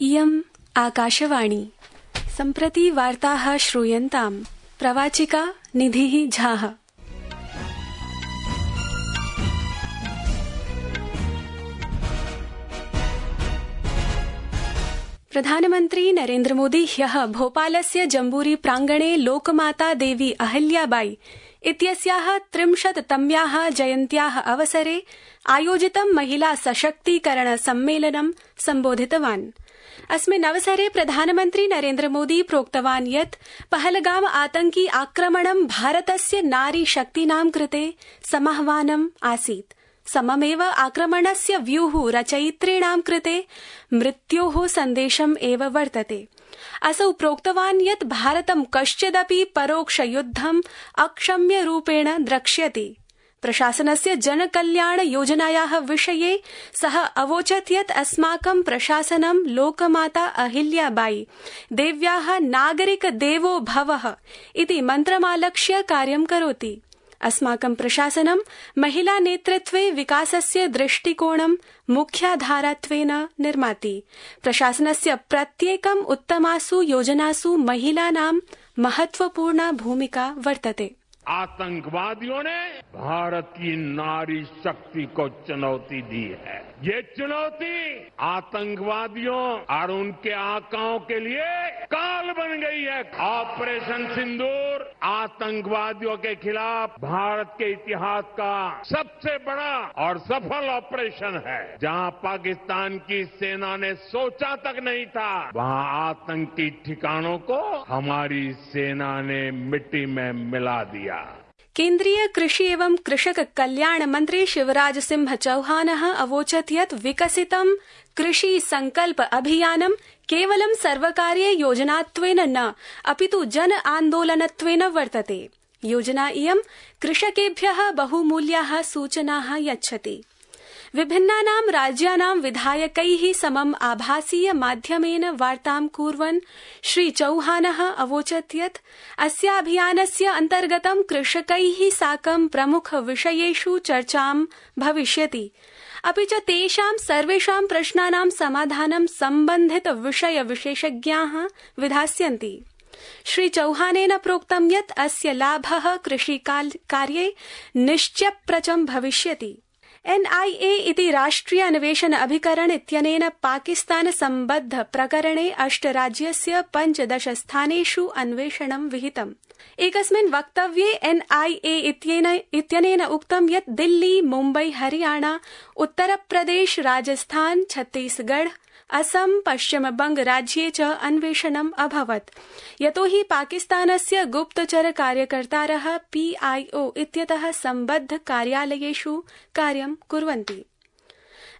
इयम् आकाशवाणी। सम्प्रति वार्ताः श्रूयन्ताम्। प्रवाचिका निधिः झाः। प्रधानमन्त्री नरेन्द्र मोदी ह्यः भोपालस्य जम्बूरी प्राङ्गणे लोकमाता देवी अहल्याबाई इत्यस्याः 30तम्याः जयन्त्याः अवसरे आयोजितं महिला सशक्तीकरण सम्मेलनं सम्बोधितवान्। अस्मिन् अवसरे प्रधानमन्त्री नरेन्द्र मोदी प्रोक्तवान् यत् पहलगाम आतंकी आक्रमणं भारतस्य नारी शक्तीनां कृते समाह्वानम् आसीत्। सममेव आक्रमणस्य व्यूः रचयित्रीणां कृते मृत्योः सन्देशम् एव वर्तते। असौ प्रोक्तवान् यत् भारतं कश्चिदपि परोक्षयुद्धम् अक्षम्यरूपेण द्रक्ष्यति। प्रशासनस्य जनकल्याण योजनायाः विषये सः अवोचत् यत् अस्माकं प्रशासनं लोकमाता अहिल्याबाई देव्याः नागरिक देवो भवः इति मन्त्रमालक्ष्य कार्यं करोति। अस्माकं प्रशासनं महिला नेतृत्वे विकासस्य दृष्टिकोणं मुख्याधारात्वेन निर्माति। प्रशासनस्य प्रत्येकम् उत्तमासु योजनासु महिलानां महत्वपूर्णा भूमिका वर्तते। आतंकवादियों ने भारत की नारी शक्ति को चुनौती दी है। ये चुनौती आतंकवादियों और उनके आकाओं के लिए काल बन गई है। ऑपरेशन सिंदूर आतंकवादियों के खिलाफ भारत के इतिहास का सबसे बड़ा और सफल ऑपरेशन है। जहां पाकिस्तान की सेना ने सोचा तक नहीं था, वहां आतंकी ठिकानों को हमारी सेना ने मिट्टी में मिला दिया। केन्द्रीय कृषि एवं कृषक कल्याण मंत्री शिवराज सिंह चौहानः अवोचत् यत् विकसितं कृषि संकल्प अभियानं केवलं सर्वकारीय योजनात्वेन न अपितु जन आन्दोलनत्वेन वर्तते। योजना इयं कृषकेभ्यः बहुमूल्याः सूचनाः यच्छति। विभिन्नानां राज्यानां विधायकैः समम् आभासीय माध्यमेन वार्तां कुर्वन् श्री चौहानः अवोचत् यत् अस्याभियानस्य अन्तर्गतं कृषकैः साकं प्रमुख विषयेषु चर्चां भविष्यति, अपि च तेषां सर्वेषां प्रश्नानां समाधानं सम्बन्धित विषय विशेषज्ञाः विधास्यन्ति। श्री चौहानेन प्रोक्तं यत् अस्य लाभः कृषिकार्ये निश्चयप्रचं भविष्यति। NIA इति राष्ट्रिय अन्वेषण अभिकरण इत्यनेन पाकिस्तान सम्बद्ध प्रकरणे 8 राज्यस्य 15 स्थानेषु अन्वेषणं विहितम्। एकस्मिन् वक्तव्ये NIA इत्यनेन उक्तं यत् दिल्ली, मुम्बई, हरियाणा, उत्तरप्रदेश, राजस्थान, छत्तीसगढ़, असम, पश्चिमबंग राज्ये च अन्वेषणम् अभवत्, यतोहि पाकिस्तानस्य गुप्तचर कार्यकर्तारः PIO इत्यतः सम्बद्ध कार्यालयेषु कार्यं कुर्वन्ति।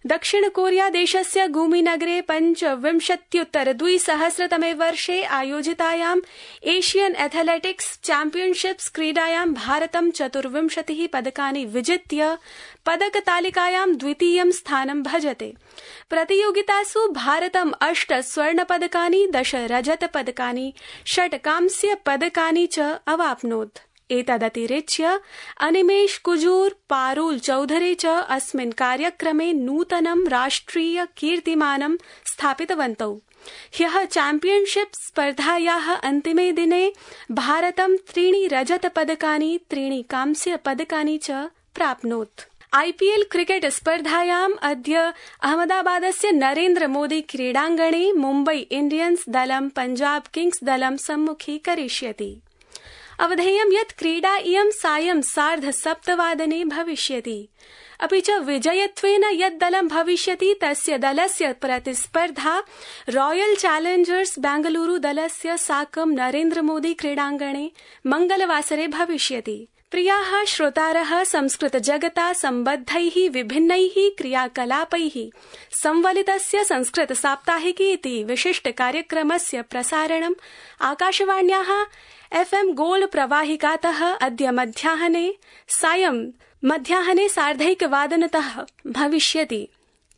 दक्षिण कोरिया देशस्य गुमीनगरे 25-2000 वर्षे आयोजितायाम् एशियन एथलेटिक्स चैम्पियनशिप्स क्रीडायां भारतं 24 पदकानि विजित्य पदकतालिकायां द्वितीयं स्थानं भजते। प्रतियोगितासु भारतं 8 स्वर्णपदकानि, 10 रजतपदकानि, 6 कांस्यपदकानि च अवाप्नोत्। एतदतिरिच्य अनिमेष कुजूर, पारुल चौधरी च अस्मिन् कार्यक्रमे नूतनं राष्ट्रिय कीर्तिमानं स्थापितवन्तौ। ह्यः चैम्पियनशिप स्पर्धायाः अन्तिमे दिने भारतं 3 रजतपदकानि, 3 कांस्यपदकानि च प्राप्नोत्। IPL क्रिकेट स्पर्धायाम् अद्य अहमदाबादस्य नरेन्द्र मोदी क्रीडाङ्गणे मुम्बई इण्डियन्स् दलं पंजाब किंग्स् दलं सम्मुखीकरिष्यति। अवधेयं यत् क्रीडा इयं सायं 7:30 भविष्यति। अपि च विजयत्वेन यत् दलं भविष्यति तस्य दलस्य प्रतिस्पर्धा रॉयल चैलेंजर्स बेंगलुरु दलस्य साकं नरेन्द्र मोदी क्रीडाङ्गणे मंगलवासरे भविष्यति। प्रियाः श्रोतारः, संस्कृत जगता सम्बद्धैः विभिन्नैः क्रियाकलापैः संवलितस्य संस्कृत साप्ताहिकी इति विशिष्ट कार्यक्रमस्य प्रसारणम् आकाशवाण्याः FM गोल्ड प्रवाहिकातः अद्य मध्याह्ने 1:30 भविष्यति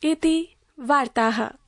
इति वार्ताः।